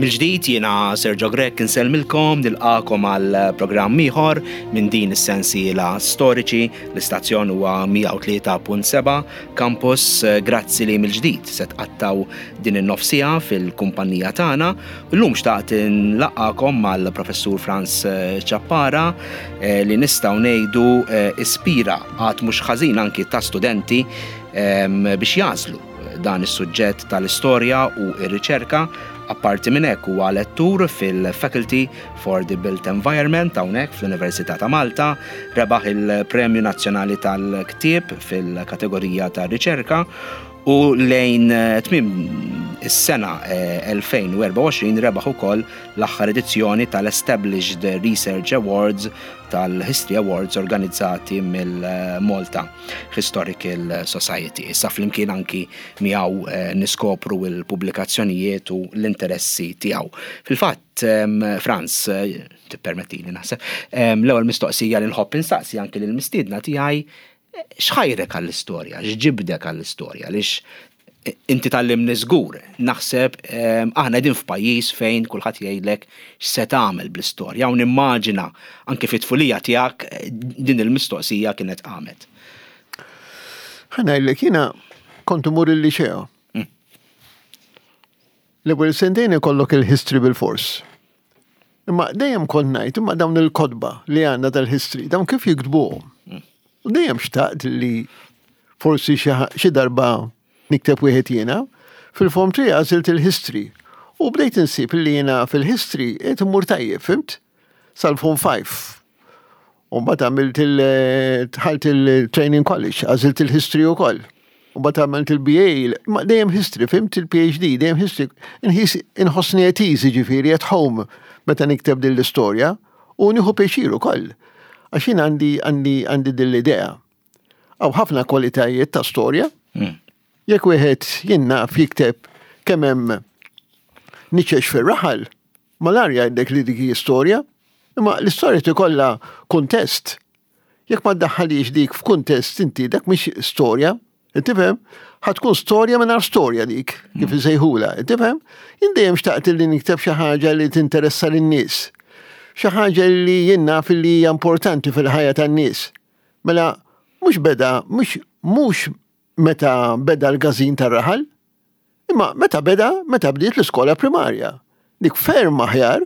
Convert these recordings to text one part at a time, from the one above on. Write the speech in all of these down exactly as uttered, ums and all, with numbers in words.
Mill-ġdid jiena Sergio Grech insellmilkom, nilqagħkom għal programm ieħor minn din is-sensiela Storiċi. L-istazzjon huwa mija u tlieta punt seba' Campus. Grazzi li mill-ġdid se tqattgħu din in-nofs siegħa fil-kumpanija tagħna. Illum xtaqt nlaqqagħkom mal-Professur Frans Ciappara eh, li nistgħu ngħidu eh, ispira għadd mhux ħażin anki ta' studenti em, biex jagħżlu dan is-suġġett tal-istorja u r-riċerka. Apparti minn hekk, huwa lettur fil-Faculty for the Built Environment hawnhekk fl-Università ta' Malta, rebaħ il-Premju Nazzjonali tal-Ktieb fil-kategorija ta' riċerka u lejn eh, tmiem is-sena eh, elfejn u erbgħa u għoxrin rebaħ ukoll l-aħħar edizzjoni tal-Established Research Awards tal-History Awards organizzati mill-Malta Historical Society. Issa flimkien anki miegħu eh, niskopru il-pubblikazzjonijiet u l-interessi tiegħu. Fil-fatt, em, Frans, eh, tippermettili naħseb, em, l-ewwel mistoqsija li nħobb instaqsi anki lill-mistiedna tiegħi, eh, x'ħajrek għall-istorja, x'ġibdek għall-istorja, għaliex inti tgħallimni żgur, naħseb em, aħna qegħdin f'pajjiż fejn kulħadd jgħidlek x'se tagħmel bl-istorja, u nimmaġina anke fit-tfulija tiegħek eh, din il-mistoqsija kienet qamet. Ħa ngħidlek, jiena kont imur il-liċeo. Mm. L-ewwel sentejn ikollok il-history bil-fors. Imma dejjem kont ngħid, imma dawn il-kotba li għandna tal-history, dawn kif jiktbuhom? U dejjem xtaqt li forsi xi xi darba nikteb wieħed jiena. Fil-form three għażilt il-history. U bdejt insib li jiena fil-history qed immur tajjeb, fhimt? Sal-form five. U mbagħad għamilt il dħalt il-training college, għażilt il-history ukoll. U mbagħad għamilt il-B A, ma dejjem history, fhimt, il-P H D, dejjem history. Inħis inħossni at ease, ġifieri at home meta nikteb din l-istorja u nieħu pjaċir ukoll. Għax jien għandi għandi għandi din l-idea. Hawn ħafna kwalitajiet ta' storja. Mm. Jekk wieħed, jien naf, jikteb kemm hemm niċex fir-raħal, malajr jgħidlek li dik hi storja, imma l-istorja tikollha kuntest. Jekk ma ddaħħalix dik f'kuntest inti, dak mhix storja, tifhem? Ħa tkun storja mingħajr storja dik, kif isejħula, tifhem? Jien dejjem xtaqt li nikteb xi ħaġa li tinteressa lin-nies. Xi ħaġa li jien naf li hija importanti fil-ħajja tan-nies. Mela, mhux beda, mhux mhux meta beda l-każin tar-raħal, imma meta beda, meta bdiet l-iskola primarja. Dik ferm aħjar,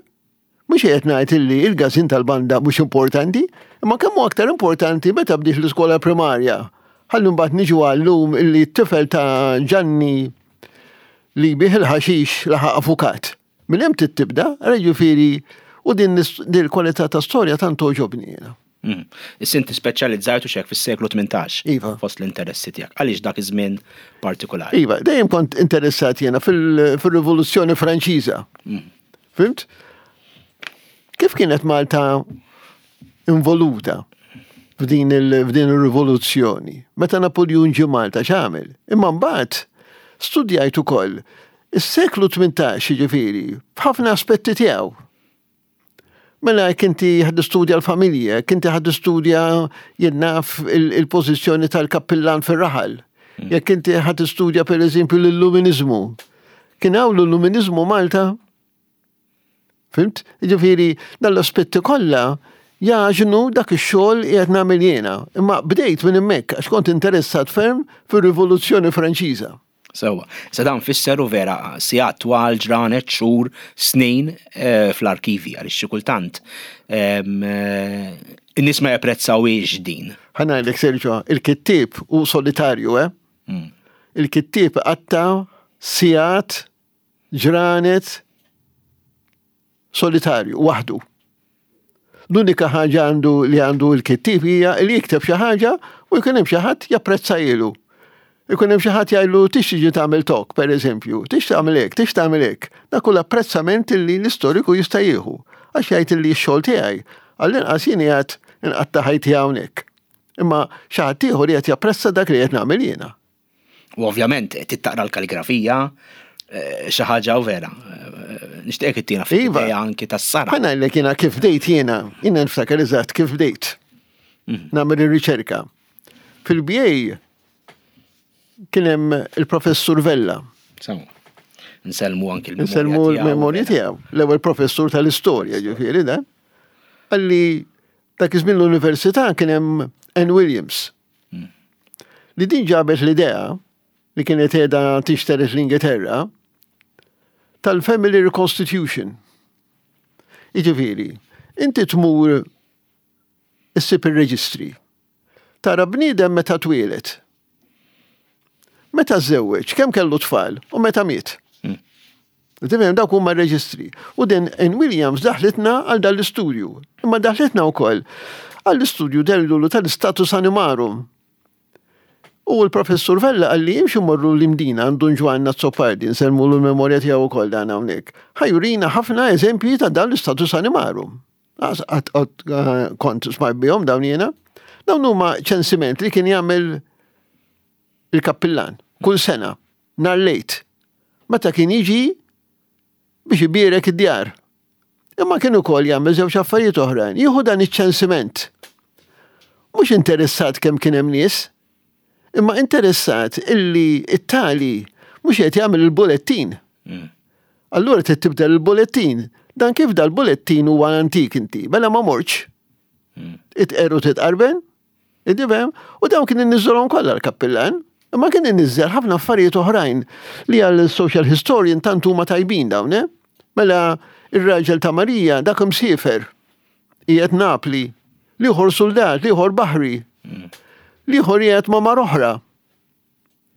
mhux qed ngħid illi il-każin tal-banda mhux importanti, imma kemm hu aktar importanti meta bdiet l-iskola primarja. Ħalli mbagħad niġu għallum illi t-tifel ta' Ġanni li jbigħ il-ħaxix laħaq avukat. Minn hemm tibda, ġifieri, u din din il-kwalità ta' storja tant togħġobni jiena. Mm. Issa inti speċjalizzajt u xek fis-seklu tmintax Iva. fost l-interessi tiegħek. Għaliex dak iż-żmien partikolari? Iva, dejjem kont interessat jiena fil- fil-Rivoluzzjoni Franċiża. Fhimt? Kif kienet Malta involuta f'din il- f'din il-rivoluzzjoni? Meta Napoleon ġie Malta, x'għamel? Imma mbagħad studjajt ukoll is-seklu tmintax, ġifieri, f'ħafna aspetti tiegħu. Mela jekk inti ħa tistudja l-familja, jekk inti ħa tistudja, jien naf, il-pożizzjoni tal-kappillan fir-raħal. Jekk inti ħa tistudja, per eżempju, l-illuminizmu. Kien hawn l-illuminizmu Malta? Fhimt? Ġifieri, dal-aspetti kollha jagħġnu dak ix-xogħol qiegħed nagħmel jiena. Imma bdejt minn hemmhekk għax kont interessat ferm fir-Rivoluzzjoni Franċiża. Sewwa. Sa dan fisser u vera sigħat twal, ġranet, xhur, snin eh, fl-arkivi, għaliex xi kultant em, eh, in-nies ma japprezzawiex din. Ħa ngħidlek, Sergio, il-kittieb hu solitarju, eh? Mm. Il-kittieb qatta' sigħat, ġranet, solitarju, waħdu. L-unika ħaġa għandu li għandu l-kittieb hija li jikteb xi ħaġa u jkun hemm xi ħadd japprezzahielu. Ikun hemm xi ħadd jgħidlu tix tiġi tagħmel talk, per eżempju, tix tagħmel hekk, tix tagħmel hekk. Dak kull apprezzament li l-istoriku jista' jieħu. Għax jgħid li x-xogħol tiegħi għall-inqas jien qiegħed inqatta' ħajti hawnhekk. Imma xi ħadd ieħor qiegħed japprezza dak li qed nagħmel jiena. U ovvjament trid taqra l-kaligrafija, eh, xi ħaġa u vera. Eh, Nixtieq ittina ftit Iva. idea anki tas-sara. Ħa ngħidlek jiena kif bdejt jiena, jiena niftakar eżatt kif bdejt. Nagħmel ir-riċerka. Fil-B A kien hemm il-professur Vella. Sewwa. Nsellmu anki l-memorja. Nsellmu l-memorja tiegħu. L-ewwel professur tal-istorja, ġifieri da. Qalli dak iż-żmien l-università kien hemm Ann Williams. Hmm. Li din ġabet l-idea li kienet qiegħda tixteret l-Ingilterra tal-Family Reconstitution. Jiġifieri, inti tmur issib ir-reġistri. Tara bniedem meta twieled. Meta żewweġ, kemm kellu tfal u meta miet. Hmm. Tifhem, dawk huma r-reġistri. U din Ann Williams daħlitna għal dan l-istudju. Imma daħlitna wkoll għall-istudju dellulu tal-status animarum. U l-professur Vella qalli imxu morru l-Imdina għand Dun Ġwann Azzopardi, nsellmu l-memorja tiegħu wkoll dan hawnhekk. Ħa jurina ħafna eżempji ta' dan l-status animarum. Kont smajt bihom dawn jiena. Dawn huma ċensiment li kien jagħmel il-kappillan kull sena, nhar l-Għid. Meta kien jiġi biex ibierek id-djar. Imma kien ukoll jagħmel żewġ affarijiet oħrajn. Jieħu dan iċ-ċensiment. Mhux interessat kemm kien hemm nies, imma interessat illi it-tali mhux qed jagħmel il-bulettin. Mm. Allura trid tibdel il-bulettin. Dan kif dal-bulettin huwa antik inti, mela ma morx. Mm. Itqeru titqarben, tifhem, u dawn kien inniżżolhom kollha l-kappillan. Imma kien inniżżel ħafna affarijiet oħrajn li għal social historian tant huma tajbin dawn, eh? Mela ir-raġel ta' Marija dak imsiefer qiegħed Napli, l-ieħor soldat, l-ieħor baħri, Mm. l-ieħor qiegħed ma' mara oħra.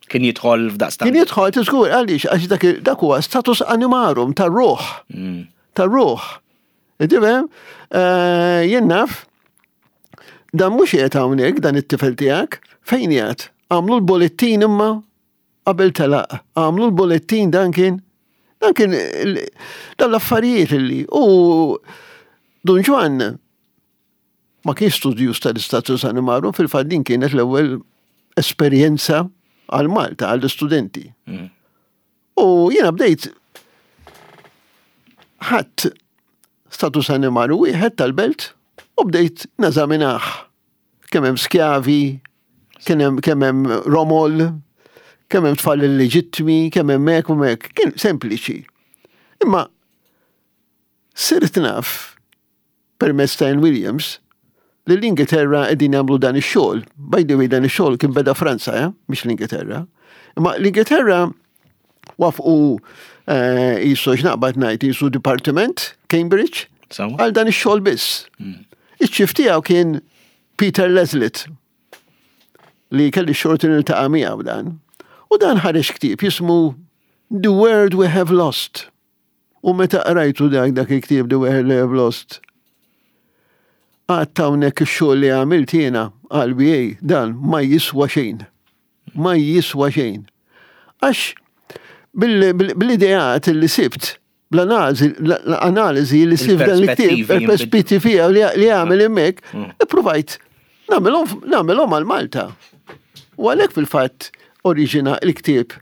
Kien jidħol f'daqstant. Kien jidħol tiżgur għaliex għax dak dak huwa status animarum tar-ruħ, Mm. tar-ruħ. Tifhem? Eh, jien naf dan mhux qiegħed hawnhekk dan it-tifel tiegħek, fejn qiegħed? Għamlu l-bolettin imma qabel telaq, għamlu l-bolettin dan kien dan kien il- dan l-affarijiet illi u Dun Ġwann ma kienx studjus tal-istatus animarum, fil-fatt din kienet l-ewwel esperjenza għal Malta, għall-istudenti. Mm. U jiena bdejt ħadt status animarum wieħed tal-belt u bdejt neżaminah. Kemm hemm skjavi, kemm hemm kemm hemm romol, kemm hemm tfal illeġittmi, kemm hemm hekk u hekk. Kien sempliċi. Imma sirt naf permezz ta' Ann Williams li l-Ingilterra qegħdin jagħmlu dan ix-xogħol. By the way, dan ix-xogħol kien beda Franza, eh? Mhix l-Ingilterra. Imma l-Ingilterra wafqu eh, jisu x'naqbad ngħid jisu Department Cambridge Sawa? għal dan ix-xogħol biss. Mm. Iċ-chief tiegħu kien Peter Laslett li kelli xorti niltaqa' miegħu dan. U dan ħareġ ktieb jismu The World We Have Lost. U meta qrajtu dak dak il-ktieb The World We Have Lost, għedt hawnhekk ix-xogħol li għamilt jiena għal B A dan ma jiswa xejn. Ma jiswa xejn. Għax bil-ideat li sibt, bl-analiżi li sibt dan il-ktieb, Il-perspettivi il-perspettivi li li għamel hemmhekk, Mm. ippruvajt nagħmelhom nagħmelhom għal Malta. U għalhekk fil-fatt oriġina il-ktieb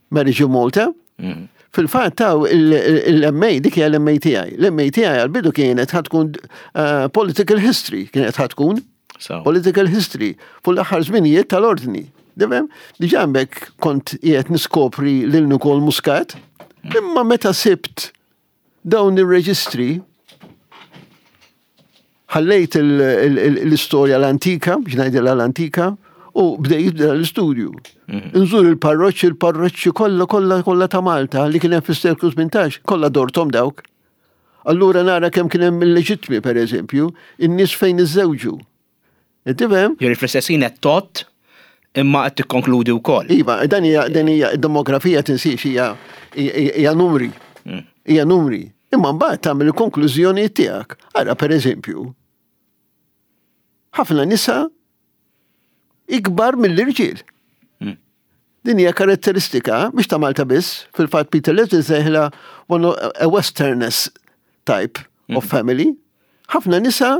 Marriage in Malta. Mm. Fil-fatt taw il-M A, dik hija l-M A tiegħi. L-M A tiegħi għal-bidu kienet ħa tkun eh, political history, kienet ħa tkun So. political history fuq l-aħħar żminijiet tal-ordni. Tifhem? Diġà hemmhekk kont qiegħed niskopri lil Nikol Muscat, imma meta sibt dawn ir-reġistri ħallejt l-istorja l-antika, biex ngħidilha l-antika, u bdejt l-istudju. Nżur il-parroċċi, il-parroċċi kollha kollha kollha ta' Malta li kien hemm fis-seklu tmintax, kollha dortom dawk. Allura nara kemm kien hemm illeġittmi, per eżempju, in-nies fejn iżżewġu. Tifhem? Jiġifieri fl-istess ħin qed tot imma qed tikkonkludi wkoll. Iva, dan hija dan hija demografija tinsiex hija hija numri. Mm. Hija numri. Imma mbagħad tagħmel il-konklużjoni tiegħek. Ara per eżempju, ħafna nisa ikbar mill-irġiel. Mm. Din hija karatteristika mhux ta' Malta biss, fil-fatt Peter Laslett sejħilha one a westerness type of family. Ħafna nisa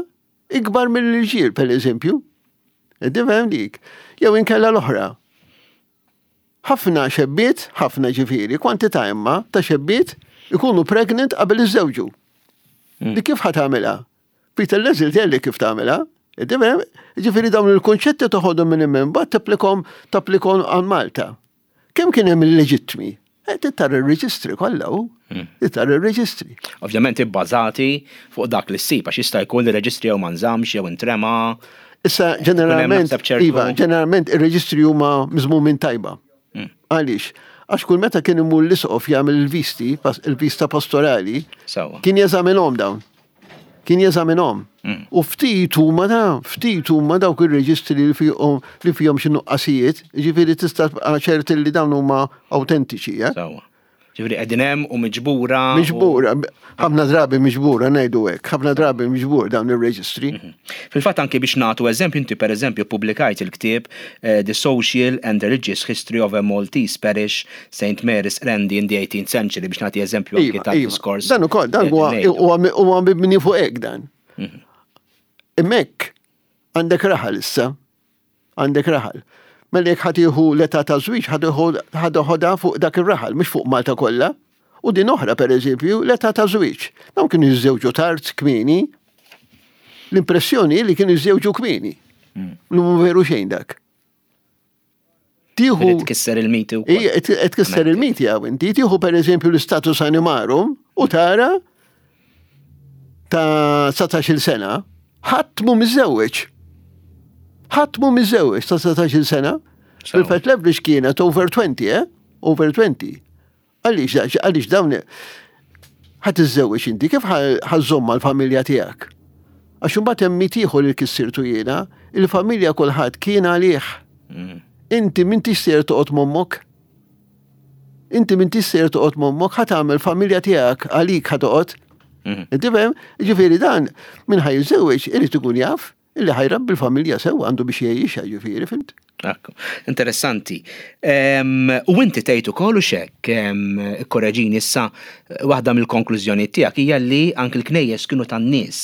ikbar mill-irġiel, per eżempju. Tifhem dik. Jew inkella l-oħra. Ħafna xebbiet, ħafna ġifieri, kwantità imma ta' xebbiet ikunu pregnant qabel iżżewġu. Mm. Di kif ħa tagħmilha? Peter Laslett jgħidli kif tagħmilha. Tifhem? Ġifieri dawn il-konċetti toħodhom minn hemm mbagħad tapplikom tapplikom għal Malta. Kemm kien hemm illeġittmi? Eh, tara ir-reġistri kollha u. Hmm. Tara ir-reġistri. Ovvjament ibbażati fuq dak li ssib, għax jista' jkun li reġistri jew ma nżammx jew intrema. Issa ġeneralment, iva, ġeneralment ir-reġistri huma miżmumin tajba. Hmm. Għaliex? Għax kull meta kien imur l-isqof jagħmel il-visti, il-vista pastorali, kien jeżaminhom dawn. Kien jeżaminhom. Mm. U ftit huma da, ftit huma dawk ir-reġistri li fihom li fihom xi nuqqasijiet, ġifieri tista' ċerti li dawn huma autentiċi, eh? Sewwa. Ġifieri qegħdin hemm u miġbura. Miġbura, ħafna drabi miġbura ngħidu hekk, ħafna drabi miġbur dawn ir-reġistri. Mhm. Fil-fatt anke biex nagħtu eżempju, inti pereżempju pubblikajt il-ktieb eh, The Social and Religious History of a Maltese Parish Saint Mary's Qrendi in the eighteenth Century, biex nagħti eżempju anke iva, ta' iva. diskors. Dan ukoll, dan huwa huwa mibni fuq hekk dan. Mhm. Hemmhekk għandek raħal issa, għandek raħal. Mela jekk ħa tieħu l-età ta' żwieġ, ħa teħodha fuq dak ir-raħal, mhux fuq Malta kollha. U din oħra, pereżempju, l-età ta' żwieġ. Dawn kienu jiżżewġu tard kmieni. L-impressjoni li kienu jiżżewġu kmieni. Hmm. Mhu veru xejn dak. Tieħu tkisser il-miti wkoll. Ija, tkisser il-miti għaw inti. Tieħu pereżempju l-status animarum u tara ta' dsatax-il sena, ħadd mhu miżżewweġ. Ħadd mhu miżżewweġ ta' dsatax-il sena. Fil-fatt l-average kienet over twenty, eh? Over twenty. Għaliex, għaliex dawn ħa tiżżewweġ inti, kif ħa żżomm mal-familja tiegħek? Għax imbagħad hemm mit ieħor li kissirtu jiena, il-familja kulħadd kien għalih. Mm. Inti m'intix sejjer toqgħod m'ommok. Inti m'intix sejjer toqgħod m'ommok, ħa tagħmel familja tiegħek għalik ħa toqgħod. Mm. Inti fhem? Ġifieri dan min ħa jiżżewweġ irid ikun jaf illi ħa jrabbi l-familja sew għandu biex jgħixha, ġifieri, fhimt? Ekku, interessanti. U inti tgħid ukoll u xek, korreġini issa, waħda mill-konklużjoni tiegħek hija li anke l-knejjes kienu tan-nies.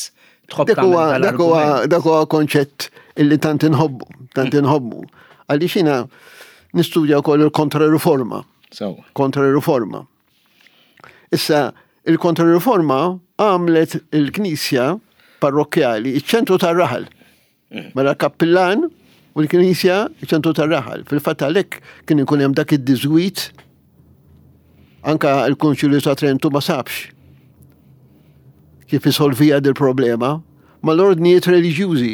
Tħobb dak huwa dak huwa konċett illi tant inħobbu, tant mm. inħobbu. Għaliex jiena nistudja wkoll il-kontra-riforma. Kontra-riforma. Issa, il-kontra-riforma għamlet il-knisja parrokkjali, iċ-ċentru tar-raħal. Mm. Mela kappillan u l-knisja iċ-ċentru tar-raħal. Fil-fatt għalhekk kien ikun hemm dak id-diżwit, anka l-Konċilju ta' Trentu ma sabx kif isolvija dil-problema mal-ordnijiet reliġjużi.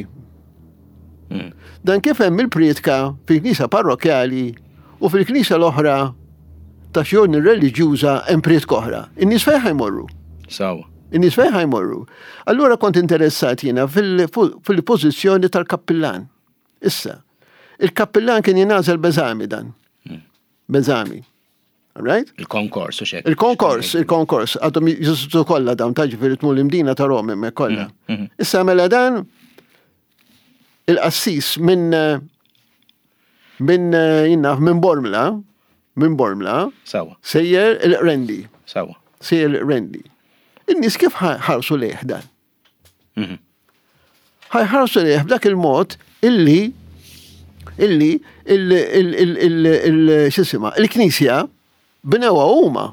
Mm. Dan kif hemm il-prietka fil-knisja parrokkjali u fil-knisja l-oħra ta' xi ordni reliġjuża hemm prietka oħra. In-nies fejn jmorru? Sawa. In-nies fejn jmorru? Allura kont interessat jiena fil-pożizzjoni tal-kappillan. Issa, il-kappillan kien jingħażel b'eżami dan. Hmm. B'eżami. Right? Il-konkors u xek. Il-konkors, il-konkors. Għadhom jeżistu kollha dawn ta' ġifieri tmur l-Imdina ta' Rom hemmhekk kollha. Hmm, hmm. Issa mela dan il-qassis minn minn jinnaf minn Bormla, minn Bormla, Sawa. Sejjer il-Qrendi. Sawa. Sejjer il-Qrendi. In-nies kif ħarsu lejh dan? Mhm. Ħarsu lejh b'dak il-mod illi illi il-xisima, il-knisja bnewha huma.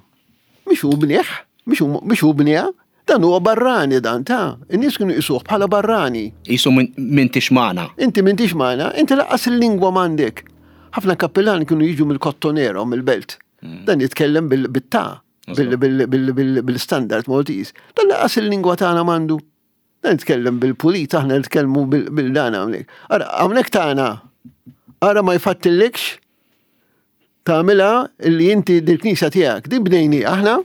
Mhix hu bnieh, mhux hu bniha, dan huwa barrani dan ta' in-nies kienu jqisuh bħala barrani. Qisu m'intix magħna. Inti m'intix magħna, inti lanqas il-lingwa m'għandek. Ħafna kappillani kienu jiġu mill-Kottonero, mill-belt. Mm. Dan jitkellem bil-ta, bil-standard Maltese. Dan lanqas il-lingwa tagħna m'għandu. Dan jitkellem bil-pulit, aħna nitkellmu bil-dan hawnhekk. Ara, hawnhekk tagħna, ara ma jfattillikx tagħmilha li inti dil-knisja tiegħek. Din bnejni aħna,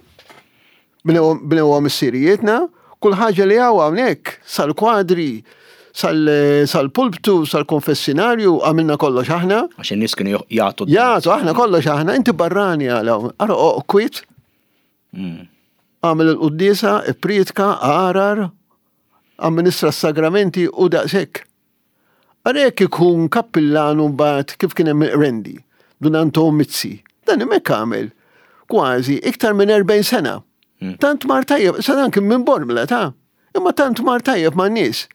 bnewha missirijietna, kull ħaġa li hawn hawnhekk, sal-kwadri, sal-pulptu, sal-konfessinarju, għamilna kollox aħna. Għax in-nies kienu jagħtu. Jagħtu aħna kollox aħna, inti barrani għal hawn. Ara kwiet. Mm. Għamel il-quddiesa, ipprietka, għarar, amministra s-sagramenti u daqshekk. Ara jekk ikun kappillan u mbagħad kif kien hemm il-Qrendi, Dun Anton Mizzi. Dan hemmhekk għamel kważi iktar minn erbgħin sena. Mm. Tant mar tajjeb, sa dan kien minn Bormla ta' imma tant mar tajjeb man nies.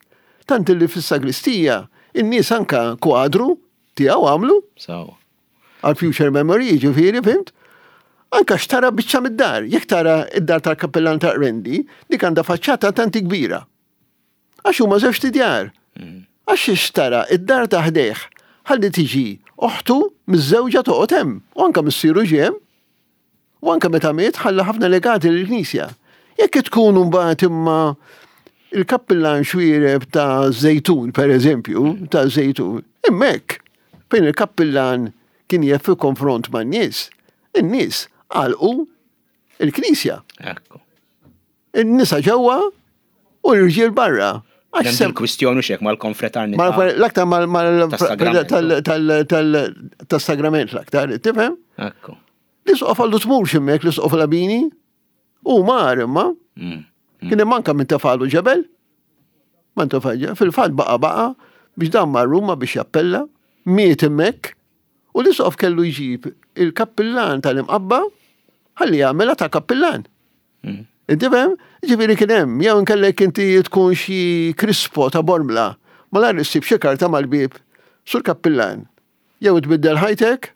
Tant illi fis-sagristija in-nies anka kwadru tiegħu għamlu. Sawa. Għal future memory, ġifieri, fimt? Anka xtara biċċa mid-dar. Jekk tara id-dar tal-kappellan ta' Qrendi, dik għandha faċċata tanti kbira. Għax huma żewġ tidjar. Mm. Għax xtara id-dar ta' ħdejh, ħalli tiġi oħtu miż-żewġa toqgħod hemm, u anka missieru ġie hemm. U anke meta miet ħalla ħafna legati lill-Knisja. Jekk tkun mbagħad imma il-kappillan Xuereb ta' Żejtun, per eżempju, ta' Żejtun, hemmhekk, fejn il-kappillan kien jef fi konfront ma' nies, in-nies għalqu il-Knisja. Ekku. In-nisa ġewwa u l-irġiel barra. Għax Hemm sem- il-kwistjoni xek mal-konfraternità. mal- L-aktar mal- mal- Tas-sagrament. tal- tal- tal- tas-sagrament l-aktar, tifhem? Ekku. L-isqof qallu tmurx hemmhekk, l-isqof Labini, u mar imma, Mm. kien hemm anka minn tefalu ġebel. Ma tefalu, fil-fatt baqa baqa biex dan mar Ruma biex jappella, miet hemmhekk, u l-isqof kellu jġib il-kappillan tal-Imqabba ħalli jagħmilha ta' kappillan. Mm. Inti fhem? Ġifieri kien hemm, jew inkellek inti tkun xi Crispo ta' Bormla, ma lar issib xi karta mal-bieb sur kappillan. Jew tbiddel ħajtek,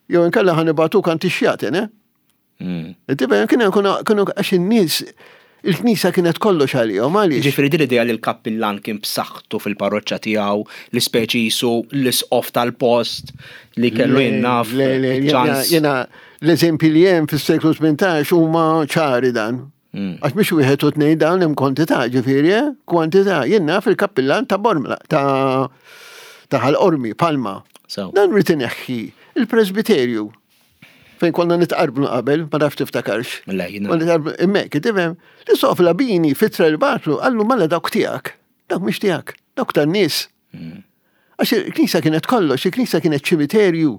jew inkella ħa nibagħtuk għand ix-xjaten, eh? Mm. Inti fhem? Kien hemm kienu kienu għax in-nies il-knisja kienet kollox għalihom għaliex. Ġifieri din l-idea li l-kappillan kien b'saħħtu fil-parroċċa tiegħu, li speċi jisu l-isqof tal-post li kellu jinnaf Le, le, jena- ċans. jena l-eżempji li hemm fis-seklu tmintax huma ċari dan. Mm. Għax mhux wieħed u tnejn dawn hemm kwantità, ġifieri, eh? Kwantità. Jien naf il-kappillan ta' Bormla, ta' ta' Ħal Qormi, Palma. So. Dan rrid ineħħi il-presbiterju fejn konna nitqarbnu qabel, ma nafx tiftakarx. Le, jiena- Ma nitqarbnu hemmhekk, tifhem? L-isqof Labini f'ittra li bagħatlu qallu mela dawk tiegħek, dawk mhux tiegħek, dawk tan-nies. Għax il-knisja kienet kollox, il-knisja kienet ċimiterju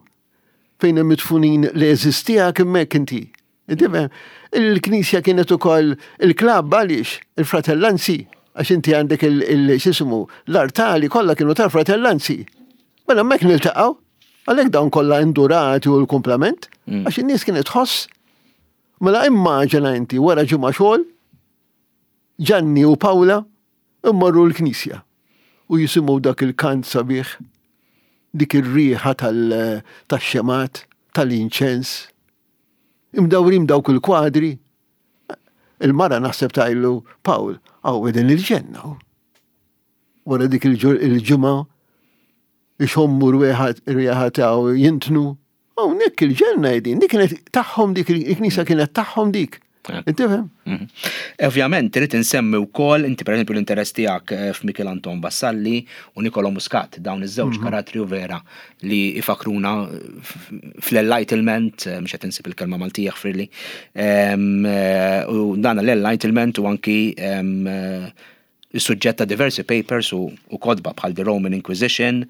fejn hemm midfunin l-għeżież tiegħek hemmhekk inti. Tifhem? Il-knisja kienet ukoll il-klabb għaliex, il-fratellanzi, għax inti għandek il-xismu, l-artali kollha kienu tal-fratellanzi. Mela hemmhekk niltaqgħu, għalhekk dawn kollha indurati u l-kumplament, għax in-nies kienet tħoss. Mela immaġina inti wara ġimgħa xogħol, Ġanni u Pawla immorru l-knisja u jisimgħu dak il-kant sabiħ, dik ir-riħa tal- tax-xemgħat, tal-inċens, imdawrin dawk il-kwadri. Il-mara naħseb tgħidlu, Pawl, hawn din il-ġenna. Wara dik il-ġimgħa ixommu rwieħa taw jintnu. Hawnhekk il-ġenna jedin, dik kienet tagħhom dik il-knisja kienet tagħhom dik. Inti fhem? Mhm. Ovvjament, trid insemmi wkoll inti pereżempju l-interess tiegħek eh, f'Mikiel Anton Vassalli u Nikolo Muscat, dawn iż-żewġ Mhm. karattri u vera li ifakruna fl-enlightenment, eh, mhux qed insib il-kelma Maltija frilli, em, eh, u dan l-enlightenment u anki em, eh, is-suġġett ta' diversi papers u, u kotba bħal The Roman Inquisition,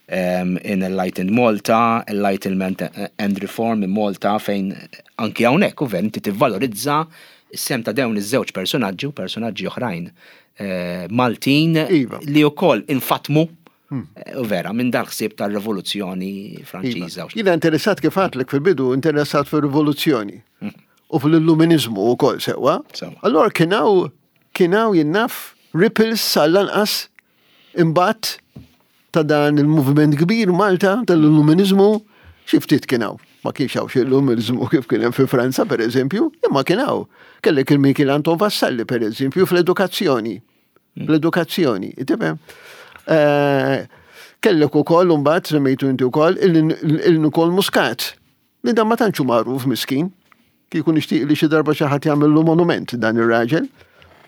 um, in Enlightened Malta, Enlightenment and Reform in Malta, fejn anki hawnhekk u inti tivvalorizza is-sehem ta' dawn iż-żewġ personaġġi u personaġġi oħrajn eh, Maltin Iva. li wkoll infatmu eh, u vera minn dal-ħsieb tar-Rivoluzzjoni Franċiża. Iva. Jiena interessat kif għedtlek fil-bidu, interessat fil-rivoluzzjoni u fil-illuminizmu u koll sewa. Sewa. Allora kien hawn, kien hawn jien naf ripples sal-lanqas imbagħad ta' dan il-moviment kbir Malta tal-illuminizmu xi ftit kien hawn. Ma kienx hawn xi illuminizmu kif kien hemm fi Franza per eżempju, imma kien hawn. Kellek il-Mikiel Anton Vassalli per eżempju fl-edukazzjoni. Fl-edukazzjoni, tifhem? Eh, Kellek ukoll imbagħad semmejtu inti wkoll il-Nikol Muscat. Li dan ma tantx hu magħruf miskin. Kieku nixtieq li xi darba xi ħadd jagħmillu monument dan ir-raġel.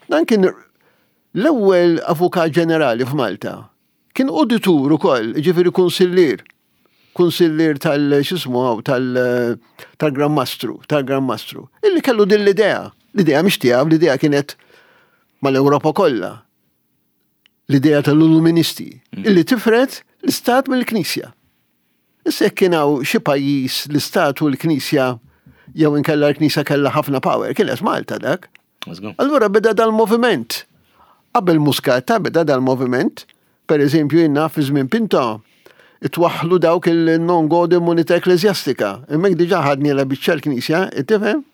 Dan kien l-ewwel avukat ġenerali f'Malta. Kien auditur ukoll, ġifieri kunsillier. Kunsillier tal x'ismu hawn tal tal-Gran Mastru, tal-Gran Mastru. Illi kellu din l-idea. L-idea mhix tiegħu, l-idea kienet mal-Ewropa kollha. L-idea tal-Illuministi, illi tifred l-Istat mill-Knisja. Issa jekk kien hawn xi pajjiż l-Istat u l-Knisja jew inkella l-Knisja kellha ħafna power, kienet Malta dak. Let's go. Allura beda dal-moviment. Qabel Muscat beda dal-moviment, per eżempju jiena fi żmien Pinto, itwaħlu dawk il-non gode immunità ecclesiastica. Hemmhekk diġà ħadni la biċċa l-Knisja, tifhem?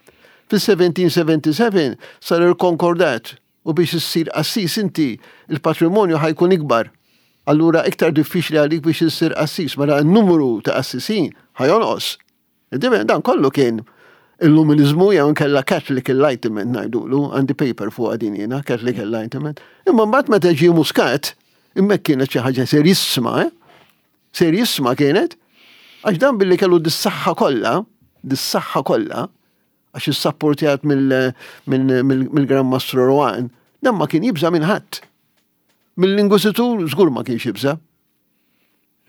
Fis-seventeen seventy-seven sar il-konkordat u biex issir qassis inti il-patrimonju ħa jkun ikbar. Allura iktar diffiċli għalik biex issir qassis, mela n-numru ta' qassisin ħa jonqos. Tifhem? Dan kollu kien illuminizmu jew inkella Catholic Enlightenment ngħidulu, għandi paper fuq din jiena, Catholic Enlightenment. Imma mbagħad meta ġie Muscat, hemmhekk kienet xi ħaġa serissima, eh? Serissima kienet, għax dan billi kellu dis-saħħa kollha, dis-saħħa kollha, għax issapportjat mill-Gran Mastru Rohan, dan ma kien jibża minn ħadd. Mill-Inkwiżitur żgur ma kienx jibża.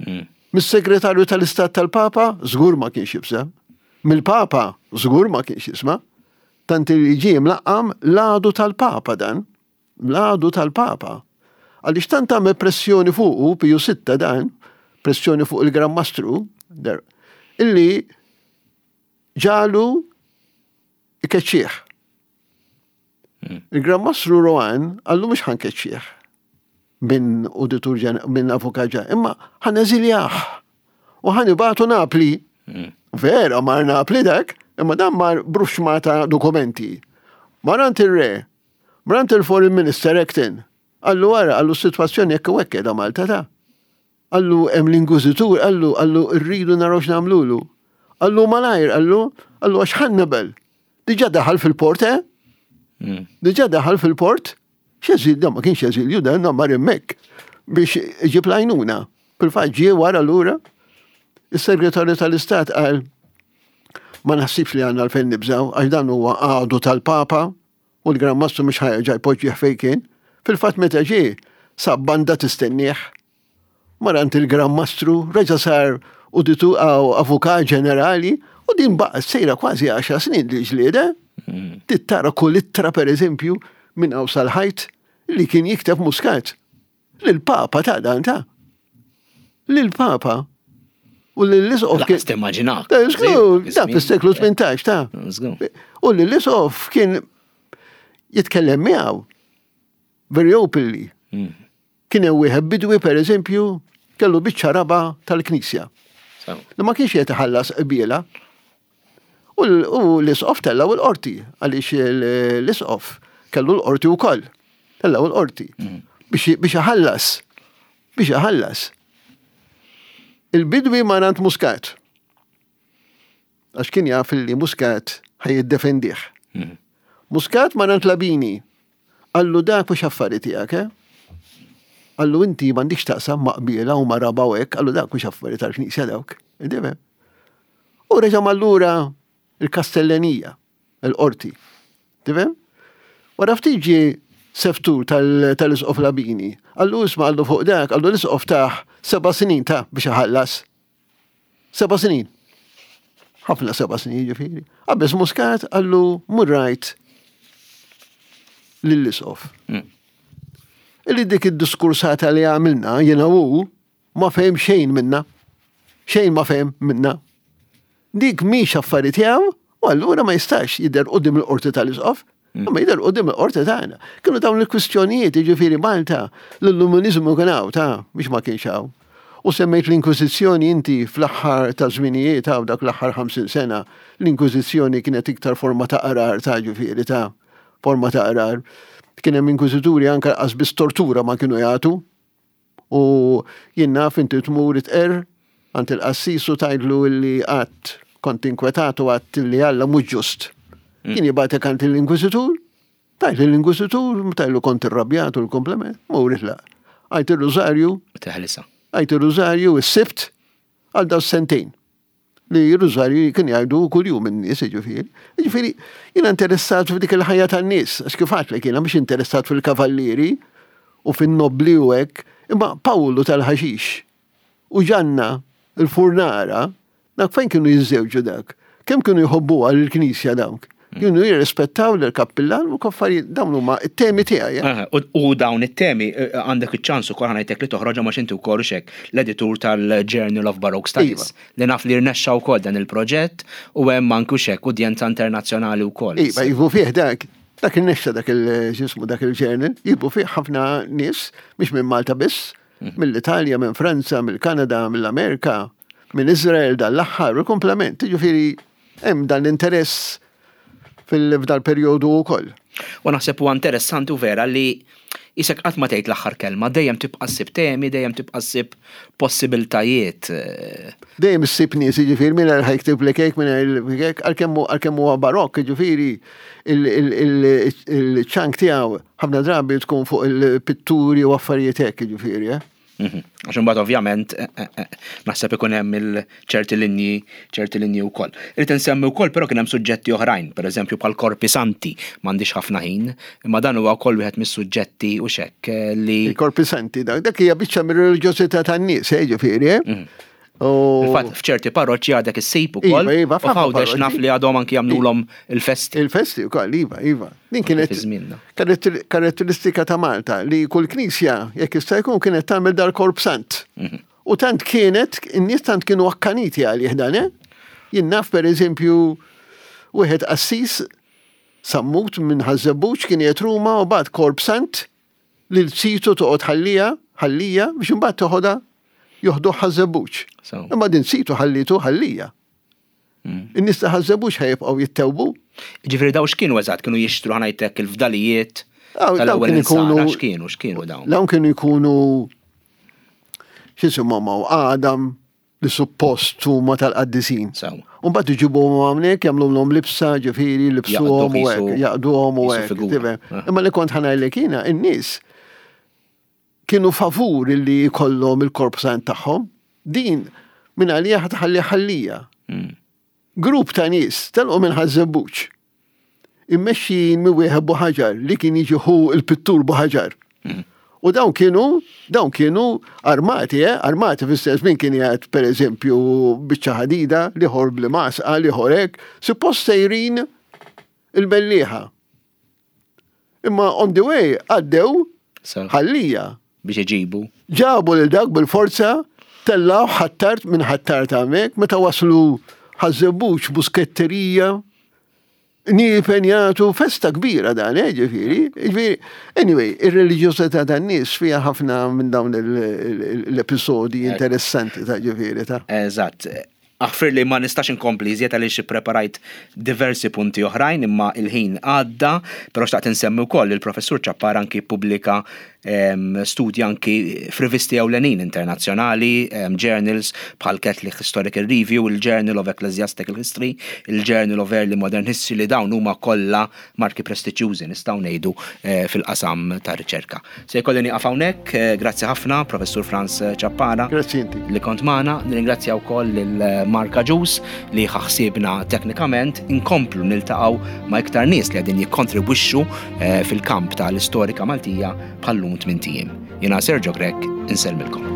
Hmm. Mis-Segretarju tal-Istat tal-Papa żgur ma kienx jibża. Mill-Papa żgur ma kienx jisma'. Tant li ġie mlaqqam l-għadu tal-Papa dan. L-għadu tal-Papa. Għaliex tant għamel pressjoni fuqu, Piju Sitta dan, pressjoni fuq il-Gran Mastru, illi ġalu ikeċċieħ. Hmm. Il-Gran Mastru Rohan għallu mhux ħa nkeċċih minn uditur minn avukat ġa, imma ħa neżiljah u ħa nibagħtu Napli. Hmm. Vera mar Napli dak, imma dan mar b'ruxxmata ta' dokumenti. Mar għand il-re, mar għand il-Foreign Minister Acton, għallu wara, għallu situazzjoni jekk u hekk da Malta ta' Għallu hemm l-inkwiżitur, għallu għallu rridu naraw x'nagħmlulu. Għallu malajr, għallu, għallu għax Hannibal. Diġà daħal fil-port, eh? Hmm. Diġà daħal fil-port, x'eżil, ma kienx eżilju, dan mar hemmhekk biex iġib l-għajnuna. Fil-fatt ġie wara lura, is-segretarju tal-Istat qal ma naħsibx li għandna għalfejn nibżaw, għax dan huwa għadu tal-Papa u l-Gran Mastru mhux ħa jerġa' jpoġġih fejn kien. Fil-fatt meta ġie, sab banda tistennieh. Mar għand il-Gran Mastru, reġa' sar uditu avukat ġenerali u din baqgħet sejra kważi għaxar snin li ġlieda. Hmm. Tittara kull ittra per eżempju minn hawn sal-ħajt li kien jikteb Muscat. Lil-Papa ta' dan ta' Lil-Papa. U l-Isqof kien. Timmaġinak. Da fis-seklu tmintax ta' U l-Isqof kien jitkellem miegħu very openly. Hmm. Kien hemm wieħed bidwi per eżempju kellu biċċa raba tal-Knisja. Li ma kienx qed iħallas qbiela. U l-Isqof tellgħu l-qorti għaliex l-Isqof kellu l-qorti wkoll. Tellgħu l-qorti hmm. biex iħallas. Biex iħallas. Il-bidwi mar għand Muscat. Għax kien jaf li Muscat ħa jiddefendih. Hmm. Muscat mar għand Labini. Għallu dak mhux affari tiegħek, eh? Għallu inti m'għandikx taqsam ma' qbiela u ma' raba u hekk, għallu dak mhux affari tal-Knisja dawk. Indifhem? U reġa' mallura il-Kastellenija, il-qorti. Tifhem? Wara ftit ġie seftur tal-Isqof Labini. Għallu isma' għallu fuq dak, għallu l-Isqof taħ seba' snin ta' biex iħallas. Seba' snin. Ħafna seba' snin ġifieri. Qabeż Muscat għallu murrajt lill-Isqof. Hmm. Illi dik id-diskursata li għamilna jiena u ma fehem xejn minna. Xejn ma fehem minna. Dik mhix affari tiegħu u allura ma jistax jidher quddiem il-qorti tal-Isqof. Hmm. Ma jidher quddiem il-qorti tagħna. Kienu dawn il-kwistjonijiet, jiġifieri Malta, l-illuminizmu kien hawn ta' biex ma kienx hawn. U semmejt l-Inkwiżizzjoni inti fl-aħħar ta' żminijiet hawn dak l-aħħar ħamsin sena, l-Inkwiżizzjoni kienet iktar forma ta' qarar ta' ġifieri ta' forma ta' qarar. Kien hemm inkwiżituri anke qas biss tortura ma kienu jagħtu. U jien naf inti tmur itqer għand il-qassis u tgħidlu li qatt kont inkwetat u għadt li Alla mhux ġust. Hmm. Kien jibgħatek għand l-inkwiżitur, tgħid l-inkwiżitur, tgħidlu kont irrabjat u l-komplement, mur itlaq. Għajt ir-rużarju. Teħlisa. Għajt ir-rużarju is-Sibt għal daw sentejn. Li r-rużarju kien jgħidu kuljum in-nies, jiġifieri. Jiġifieri, jiena interessat f'dik il-ħajja tan-nies, għax kif għedtlek jiena mhux interessat fil-kavallieri u fin-nobli u hekk, imma Pawlu tal-ħaxix u Ġanna il-furnara, dak fejn kienu jiżżewġu dak? Kemm kienu jħobbuha lill-Knisja dawk? Kienu jirrispettaw lill-kappillan u koffarijiet, dawn huma it-temi tiegħi. Aha, u, u dawn it-temi, eh, għandek iċ-ċans ukoll ħa ngħidlek li toħroġha ma inti wkoll xek l-editur tal-Journal of Baroque Studies. Iva. Li naf li rnexxa wkoll dan il-proġett u hemm anke xek udjenza internazzjonali wkoll. Iva, jibu fih dak, dak il-nexxa dak il-ġismu dak il-journal, jibu fih ħafna nies, mhix minn Malta biss, Mhm. mill-Italja, minn Franza, mill-Kanada, mill-Amerika, minn Izrael dal-aħħar u komplement. Jiġifieri hemm dan l-interess fil-fdal perjodu wkoll. U naħseb huwa interessanti u vera li isek qatt ma tgħid l-aħħar kelma, dejjem tibqa' ssib temi, dejjem tibqa' ssib possibiltajiet. Dejjem issib nies, jiġifieri minn ħa jktiblek hekk, minn hekk, għalkemm huwa barokk, jiġifieri il-ċank tiegħu ħafna drabi tkun fuq il-pitturi u affarijiet hekk, jiġifieri, eh? Mhm. Għax imbagħad ovvjament eh, eh, eh, naħseb ikun hemm il-ċerti linji ċerti linji wkoll. Irid insemmi wkoll però kien hemm suġġetti oħrajn, pereżempju bħal korpi santi, m'għandix ħafna ħin, imma dan huwa wkoll wieħed mis-suġġetti u xekk li Il-korpi santi, dak dak hija biċċa mir-reliġjożità tan-nies, eh, ġifieri, eh? Mhm. U Fil-fatt f'ċerti parroċċi għadek issib ukoll. Iva, iva, u f'ħafna f'Għawdex parroċċi. naf li għadhom anki jagħmlulhom il-festi. Il-festi wkoll, iva, iva. Din kienet Fi żmienna. karatter- karatteristika ta' Malta li kull knisja jekk jista' jkun kienet tagħmel dal-korp sant. Mhm. U tant kienet, in-nies tant kienu akkaniti għalih dan, eh? Jien naf per eżempju wieħed qassis Sammut minn Ħaż-Żebbuġ kien qiegħed Ruma u bagħat korp sant lil situ toqgħod ħallija, ħallija biex imbagħad toħodha joħduh Ħaż-Żebbuġ. So. Imma din situ ħallitu ħallija. Mm. In-nies ta' Ħaż-Żebbuġ ħa jibqgħu jittewbu. Ġifieri daw x'kienu eżatt, kienu jixtru ħa ngħidlek il-fdalijiet Daw- daw tal-ewwel kienu insara, jkunu- x'kienu, x'kienu dawn. Dawn kienu jkunu x'isimhom hawn għadam li suppost huma tal-qaddisin. Sew. U mbagħad iġibuhom hawnhekk jagħmluhom libsa, ġifieri, libsuhom u Jaqduh hekk, qisu- jaqduhom u qisu hekk. figura. tifhem? Ah. Imma li kont ħa ngħidlek jiena, in-nies kienu favur li jkollhom il-korp sant tagħhom. Din minn għalija ħa tħalli ħallija. Mm. Grupp ta' nies telqu minn Ħaż-Żebbuġ. Immexxin minn wieħed Buħaġar li kien jiġi ħu il-pittur Buħaġar. U dawn kienu, dawn kienu armati, eh? Armati fis-sens min kien jgħid per eżempju biċċa ħadida, l-ieħor bl-masqa, l-ieħor hekk, suppost sejrin il-Mellieħa. Imma on the way għaddew So, ħallija. biex iġibu. Ġabu lil dak bil-forza, tellaw Ħ'Attard minn Ħ'Attard hemmhekk, meta waslu Ħaż-Żebbuġ busketterija, nipenjatu festa kbira dan, eh, ġifieri. Ġifieri, anyway, ir-reliġjożità tan-nies fiha ħafna minn dawn l-episodi interessanti ta' ġifieri ta' Eżatt. Aħfir li ma nistax inkompli iżjed għaliex ippreparajt diversi punti oħrajn imma il-ħin għadda, però xtaqt insemmi wkoll il-professur Ciappara anki pubblika em, studji anki f'rivisti ewlenin internazzjonali, em, journals bħal Catholic Historical Review, il-Journal of Ecclesiastical History, il-Journal of Early Modern History li dawn huma kollha marki prestiġjużi nistgħu ngħidu eh, fil-qasam ta' riċerka. Se jkolli nieqaf hawnhekk, eh, grazzi ħafna Professur Frans Ciappara Grazzi inti. li kont magħna, nirringrazzja wkoll lil Mark Agius li ħaħsibna teknikament, inkomplu niltaqgħu ma' iktar nies li qegħdin jikkontribwixxu eh, fil-kamp tal-istorika Maltija bħallum tmint ijiem. Jiena Sergio Grech, insellmilkom.